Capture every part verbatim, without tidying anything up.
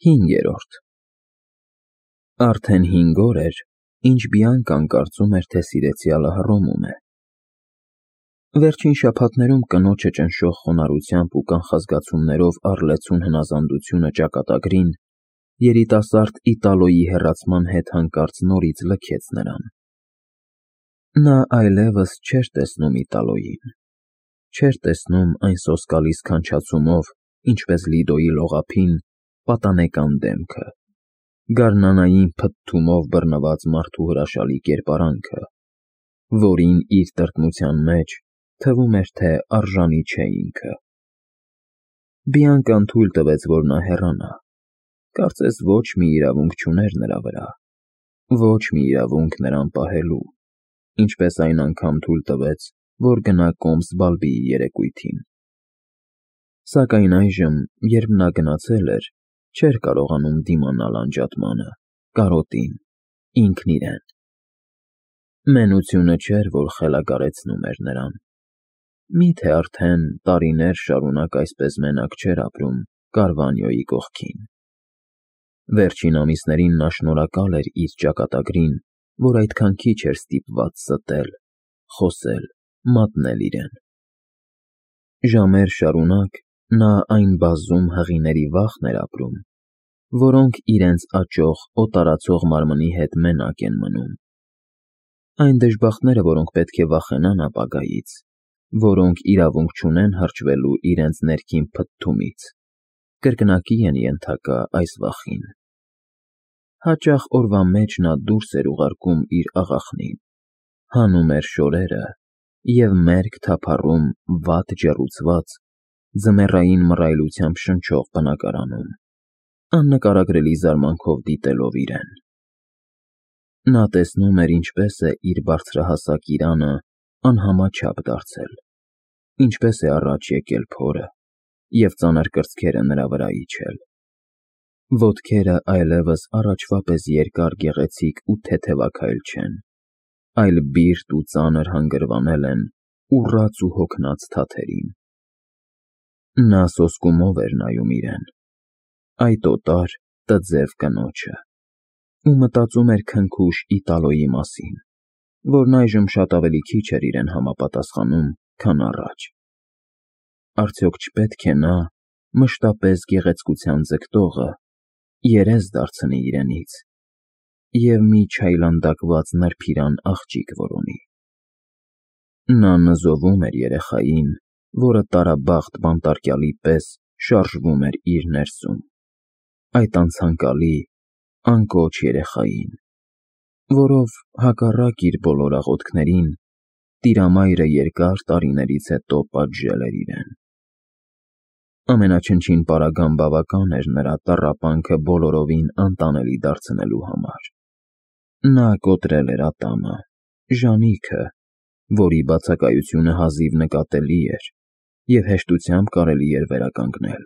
Հինգերորդ Արդեն հինգ օր էր, ինչ Բիանկան կարծում էր, թե սիրեցյալը հռոմում է։ Վերջին շաբաթներում կնոջը ճնշող խոնարհությամբ ու կանխազգացումներով առլեցուն հնազանդությունը ճակատագրին, երիտասարդ Իտալոյի հեռացման հետ հանկարծ նորից լքեց նրան։ Նա այլևս չէր տեսնում Իտալոյին, չէր տեսնում այն սոսկալի սքանչացումով, ինչպես Լիդոյի լողափին, պատանեկան դեմքը, գարնանային փթթումով բռնված մարդու հրաշալի կերպարանքը, որին իր տրտմության մեջ թվում էր, թե արժանի չէ ինքը։ Բիանկան թույլ տվեց, որ նա հեռանա, կարծես ոչ մի իրավունք չուներ նրա վրա, ոչ մի իրավունք նրան պահելու, ինչպես այն անգամ թույլ տվեց, որ գնա Կոմս֊Բալբիի երեկույթին։ Սակայն այժմ, երբ նա գնացել էր, չէր կարողանում դիմանալ անջատմանը, կարոտին, ինքն իրեն։ Մենությունը չէր, որ խելագարեցնում էր նրան։ Մի՞թե արդեն տարիներ շարունակ այսպես մենակ չէր ապրում Կարվանյոյի կողքին։ Վերջին ամիսներին նա շնորհակալ էր իր ճակատագրին, որ այդքան քիչ էր ստիպված ստել, խոսել, մատնել իրեն։ Ժամեր շարունակ նա այն բազում հղիների վախն էր ապրում, որոնք իրենց աճող, օտարացող մարմնի հետ մենակ են մնում։ Այն դժբախտները, որոնք պետք է վախենան ապագայից, որոնք իրավունք չունեն հրճվելու իրենց ներքին փթթումից, կրկնակի են ենթակա այս վախին։ Հաճախ օրվա մեջ նա դուրս էր ուղարկում իր աղախնին, հանում էր շորերը և մերկ թափառում վատ ջեռուցված, ձմեռային մռայլությամբ շնչող բնակարանում, աննկարագրելի զարմանքով դիտելով իրեն։ Նա տեսնում էր, ինչպես է իր բարձրահասակ իրանը անհամաչափ դարձել, ինչպես է առաջ եկել փորը և ծանր կրծքերը նրա վրա իջել։ Ոտքերը այլևս առաջվա պես երկար, գեղեցիկ ու թեթևաքայլ չեն, այլ բիրտ ու ծանր հանգրվանել են ուռած ու հոգնած թաթերին։ Նա սոսկումով էր նայում իրեն, այդ օտար, տձև կնոջը, ու մտածում էր քնքուշ Իտալոյի մասին, որն այժմ շատ ավելի քիչ էր իրեն համապատասխանում, քան առաջ։ Արդյոք չպետք է նա, մշտապես գեղեցկության ձգտողը, երես դարձնի իրենից և մի չայլանդակված նրբիրան աղջիկ որոնի։ Նա նզովում էր երեխային, որը տարաբախտ բանտարկյալի պես շարժվում էր իր ներսում, այդ անցանկալի, անկոչ երեխային, որով, հակառակ իր բոլոր աղոթքներին, Տիրամայրը երկար տարիներից հետո պատժել էր իրեն։ Ամենաչնչին պարագան բավական էր նրա տառապանքը բոլորովին անտանելի դարձնելու համար։ Նա կոտրել էր ատամը, ժանիքը, որի բացակայությունը հազիվ նկատելի էր և հեշտությամբ կարելի էր վերականգնել։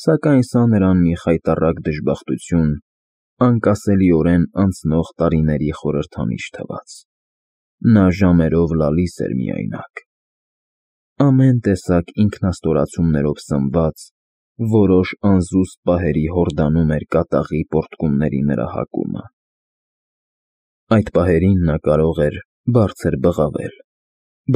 Սակայն սա նրան մի խայտառակ դժբախտություն, անկասելիորեն անցնող տարիների խորհրդանիշ թվաց։ Նա ժամերով լալիս էր միայնակ, ամեն տեսակ ինքնաստորացումներով սնված, որոշ անզուսպ պահերի հորդանում էր կատաղի պոռթկումների նրա հակումը։ Այդ պահերին նա կարող էր բարձր բղավել,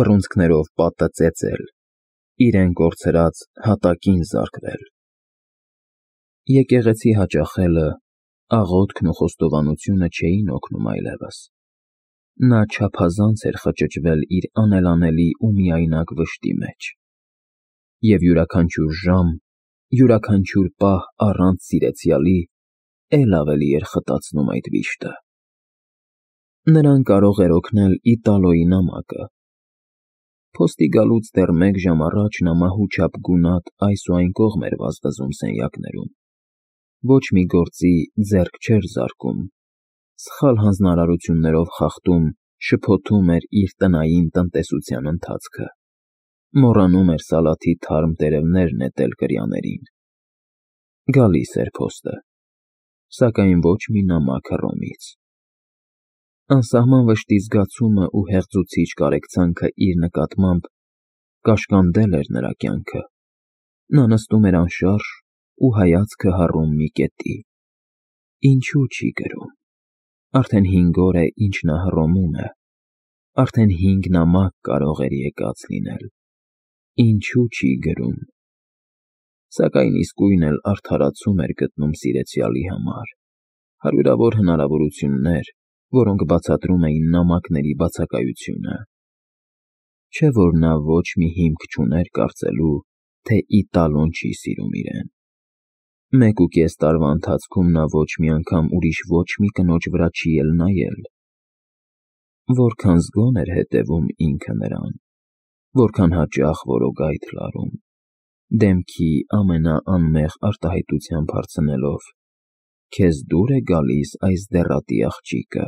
բռունցքներով պատը ծեծել, իրեն կորցրած հատակին զարկվել։ Եկեղեցի հաճախելը, աղոթքն ու խոստովանությունը չէին օգնում այլևս։ Նա չափազանց էր խճճվել իր անելանելի ու միայնակ վշտի մեջ, և յուրաքանչյուր ժամ, յուրաքանչյուր պահ առանց սիրեցյալի էլ ավելի էր խտացնում այդ վիշտը։ Նրան կարող էր օգնել Իտալոյի նամակը։ Փոստի գալուց դեռ մեկ ժամ առաջ նա մահու չափ գունատ այս ու այն կողմ էր վազվզում սենյակներում, ոչ մի գործի ձեռք չէր զարկում, սխալ հանձնարարություններով խախտում, շփոթում էր իր տնային տնտեսության ընթացքը, մոռանում էր սալաթի թարմ տերևներ նետել կրյաներին։ Գալիս էր փոստը, սակայն ոչ մի նամակ Հռոմից։ Անսահման վշտի զգացումը ու հեղձուցիչ կարեկցանքը իր նկատմամբ կաշկանդել էր նրա կյանքը։ Նա նստում էր անշարժ ու հայացքը հառում մի կետի։ Ինչու չի գրում։ Արդեն հինգ օր է, ինչ նա հռոմում է։ Արդեն հինգ նամակ կարող էր եկած լինել։ Ինչու չի գրում։ Սակայն իսկույն էլ արդարացում էր գտնում սիրեցյալի համար։ Հարյուրավոր հնարավորություններ, որոնք բացատրում էին նամակների բացակայությունը։ Չէ՞ որ նա ոչ մի հիմք չուներ կարծելու, թե Իտալոն չի սիրում իրեն։ Մեկ ու կես տարվա ընթացքում նա ոչ մի անգամ ուրիշ ոչ մի կնոջ վրա չի էլ նայել։ Որքան զգոն էր հետևում ինքը նրան, որքան հաճախ որոգայթ լարում, դեմքի ամենաանմեղ արտահայտությամբ հարցնելով. «Քեզ դուր է գալիս այս դեռատի աղջիկը,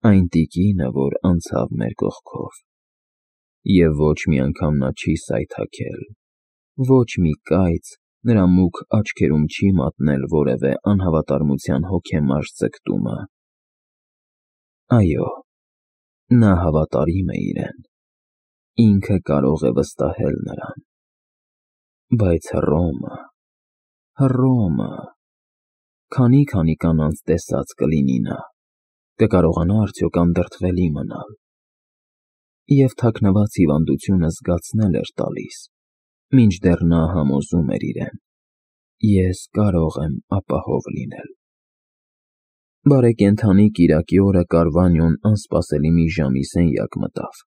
այն տիկինը, որ անցավ մեր կողքով»։ Եվ ոչ մի անգամ նա չի սայթաքել, ոչ մի կայծ նրա մուգ աչքերում չի մատնել որևէ անհավատարմության հոգեմարշ ձգտումը։ Այո, նա հավատարիմ է իրեն, ինքը կարող է վստահել նրան։ Բայց Հռոմը, Հռոմը… Քանի՞֊քանի կանանց տեսած կլինի նա, կկարողանա արդյոք անդրդվելի մնալ։ Եվ թաքնված հիվանդությունը զգացնել էր տալիս, մինչդեռ նա համոզում էր իրեն. «Ես կարող եմ ապահով լինել»։ Բարեկենդանի կիրակի օրը Կարվանյոն անսպասելի մի ժամի սենյակ մտավ։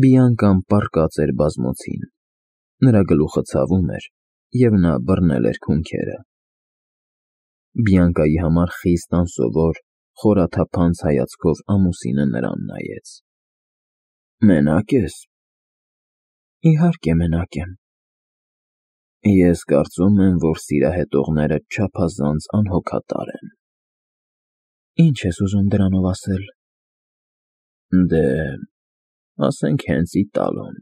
Բիանկան պառկած էր բազմոցին, նրա գլուխը ցավում էր, և նա բռնել էր քունքերը։ Բիանկայի համար խիստ անսովոր, խորաթափանց հայացքով ամուսինը նրան նայեց։ «Մենա՞կ ես»։ «Իհարկե մենակ եմ»։ «Ես կարծում եմ, որ սիրահետողներդ չափազանց անհոգատար են»։ «Ինչ ես ուզում դրանով ասել»։ «Դե, ասենք հենց Իտալոն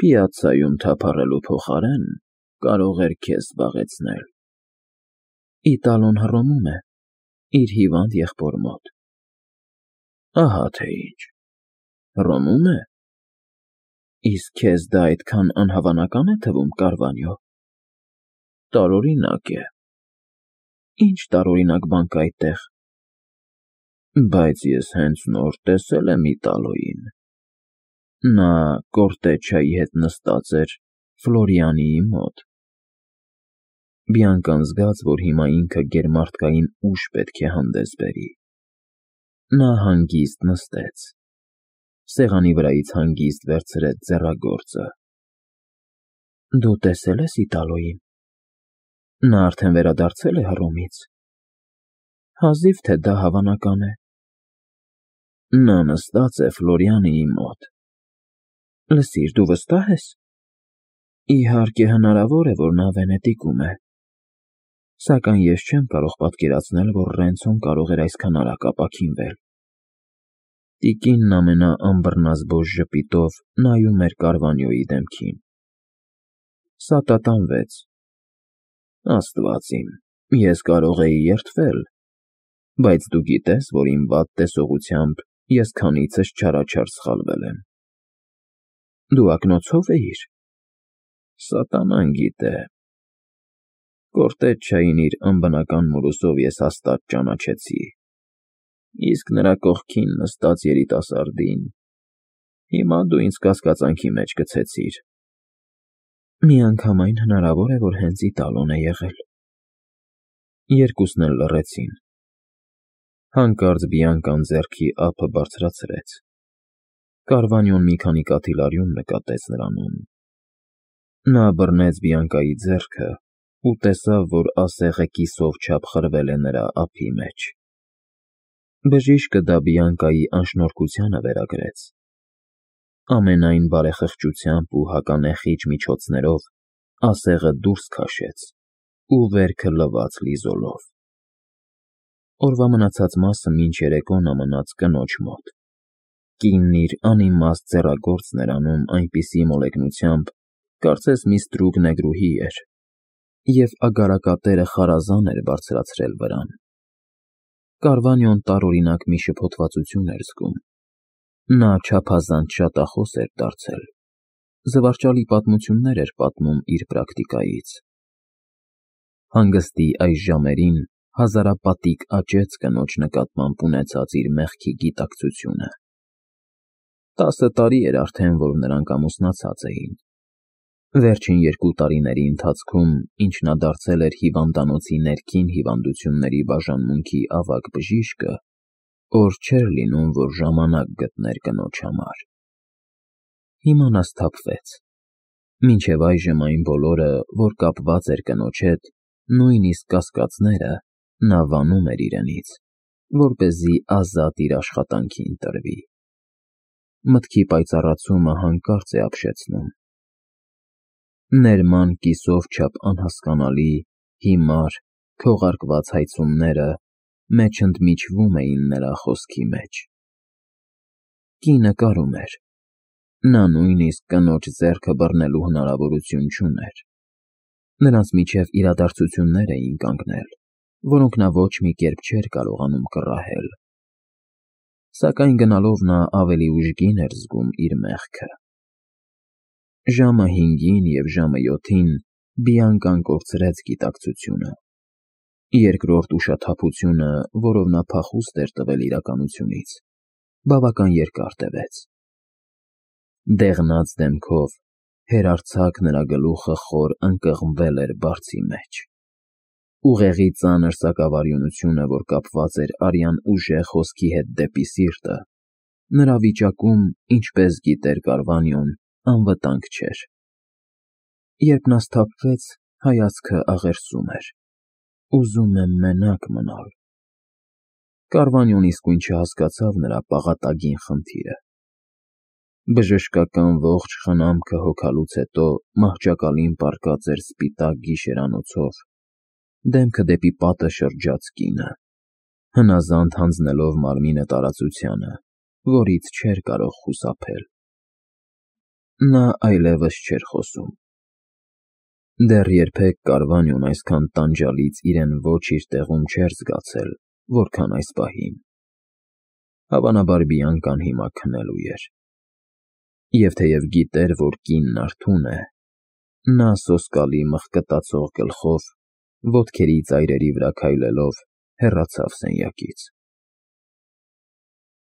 պիացցայում թափառելու փոխարեն կարող էր քեզ զբաղեցնել»։ «Իտալոն Հռոմում է, իր հիվանդ եղբոր մոտ»։ «Ահա թե ինչ, Հռոմում է։ Իսկ քեզ դա այդքան անհավանական է թվում, Կարվանյո»։ «Տարօրինակ է»։ «Ինչ տարօրինակ բան կա այդտեղ»։ «Բայց ես հենց նոր տեսել եմ Իտալոյին։ Նա Կորտեջչայի հետ նստած էր Ֆլորիանիի մոտ»։ Բիանկան զգաց, որ հիմա ինքը գերմարդկային ուժ պետք է հանդես բերի։ Նա հանգիստ նստեց, սեղանի վրայից հանգիստ վերցրեց ձեռագործը։ «Դու տեսել ես Իտալոյին։ Նա արդեն վերադարձել է Հռոմից։ Հազիվ թե դա հավանական է»։ «Նա նստած է Ֆլորիանիի մոտ»։ «Լսիր, դու վստահ ես»։ «Իհարկե հնարավոր է, որ նա Վենետիկում է, սակայն ես չեմ կարող պատկերացնել, որ Ռենցոն կարող էր այսքան արագ ապաքինվել»։ Տիկինն ամենաանբռնազբոստ ժպիտով նայում էր Կարվանյոյի դեմքին։ Սատատանվեց։ «Աստված իմ, ես կարող էի երդվել, բայց դու գիտես, որ իմ վատ տեսողությամբ ես քանիցս չարաչար սխալվել եմ»։ «Դու ակնոցո՞վ էիր»։ «Սատանան գիտե։ Կորտեջչային իր անբնական մորուսով ես հաստատ ճանաչեցի, իսկ նրա կողքին նստած երիտասարդին հիմա դու ինձ կասկածանքի մեջ գցեցիր»։ «Միանգամայն հնարավոր է, որ հենց Իտալոն է եղել»։ Երկուսն էլ լռեցին։ Հանկարծ Բիանկան ձեռքի ափը բարձրացրեց։ Կարվանյոն մի քանի կաթիլարյուն նկատեց նրանում։ Նա բռնեց Բիանկայի ձեռքը ու տեսավ, որ ասեղը կիսով չափ խրվել է նրա ափի մեջ։ Բժիշկը դա Բիանկայի անշնորհքությանը վերագրեց։ Ամենայն բարեխղճությամբ ու հականեխիչ միջոցներով ասեղը դուրս քաշեց ու վերքը լվաց լիզոլով։ Օրվա մնացած մասը մինչ երեկո նա մնաց կնոջ մոտ։ Կինն իր անիմաստ ձեռագործն էր անում այնպիսի մոլեգնությամբ, կարծես մի ստրուկ նեգրուհի էր, և ագարակատերը խարազան էր բարձրացրել վրան։ Կարվանյոն տարօրինակ մի շփոթվածություն էր զգում։ Նա չափազանց շատախոս էր դարձել, զվարճալի պատմություններ էր պատմում իր պրակտիկայից։ Հանգստի այս ժամերին հազարապատիկ աճեց կնոջ նկատմամբ ունեցած իր մեղքի գիտակցությունը։ Տասը տարի էր արդեն, որ նրանք ամուսնացած էին։ Վերջին երկու տարիների ընթացքում, ինչ նա դարձել էր հիվանդանոցի ներքին հիվանդությունների բաժանմունքի ավագ բժիշկը, օր չէր լինում, որ ժամանակ գտներ կնոջ համար։ Հիմա նա սթափվեց։ Մինչև այժմ այն բոլորը, որ կապված էր կնոջ հետ, նույնիսկ կասկածները, նա վանում էր իրենից, որպեսզի ազատ իր աշխատանքին տրվի։ Մտքի պայծառացումը հանկարծ է ապշեցնում։ Ներման կիսով չափ անհասկանալի, հիմար, քողարկված հայցումները մեջ ընդմիջվում էին նրա խոսքի մեջ։ Կինը կարում էր։ Նա նույնիսկ կնոջ ձեռքը բռնելու հնարավորություն չուներ։ Նրանց միջև իրադարձություններ էին կանգնել, որոնք նա ոչ մի կերպ չէր կարողանում կռահել։ Սակայն գնալով նա ավելի ուժգին էր զգում իր մեղքը։ Ժամը հինգին և ժամը յոթին Բիանկան կորցրեց գիտակցությունը։ Երկրորդ ուշաթափությունը, որով նա փախուստ էր տվել իրականությունից, բավական երկար տևեց։ Դեղնած դեմքով, հերարձակ նրա գլուխը խոր ընկղմվել էր բարձի մեջ։ Ուղեղի ծանր սակավարյունությունը, որ կապված էր արյան ուժեղ հոսքի հետ դեպի սիրտը, նրա վիճակում, ինչպես գիտեր Կարվանյոն, անվտանգ չէր։ Երբ նա սթափվեց, հայացքը աղերսում էր։ Ուզում եմ մենակ մնալ։ Կարվանյոն իսկույն չհասկացավ նրա պաղատագին խնդիրը։ Բժշկական ողջ խնամքը հոգալուց հետո մահճակալին պառկած էր սպիտակ գիշերանոցով, դեմքը դեպի պատը շրջած կինը, հնազանդ հանձնելով մարմինը տարածությանը, որից չէր կարող խուսափել։ Նա այլևս չէր խոսում։ Դեռ երբեք Կարվանյոն այսքան տանջալից իրեն ոչ իր տեղում չէր զգացել, որքան այս պահին։ Հավանաբար Բիանկան հիմա քնելու էր։ Եվ թեև գիտեր, որ կինն արթուն է, նա սոսկալի մղկտացող գլխով, ոտքերի ծայրերի վրա քայլելով, հեռացավ սենյակից։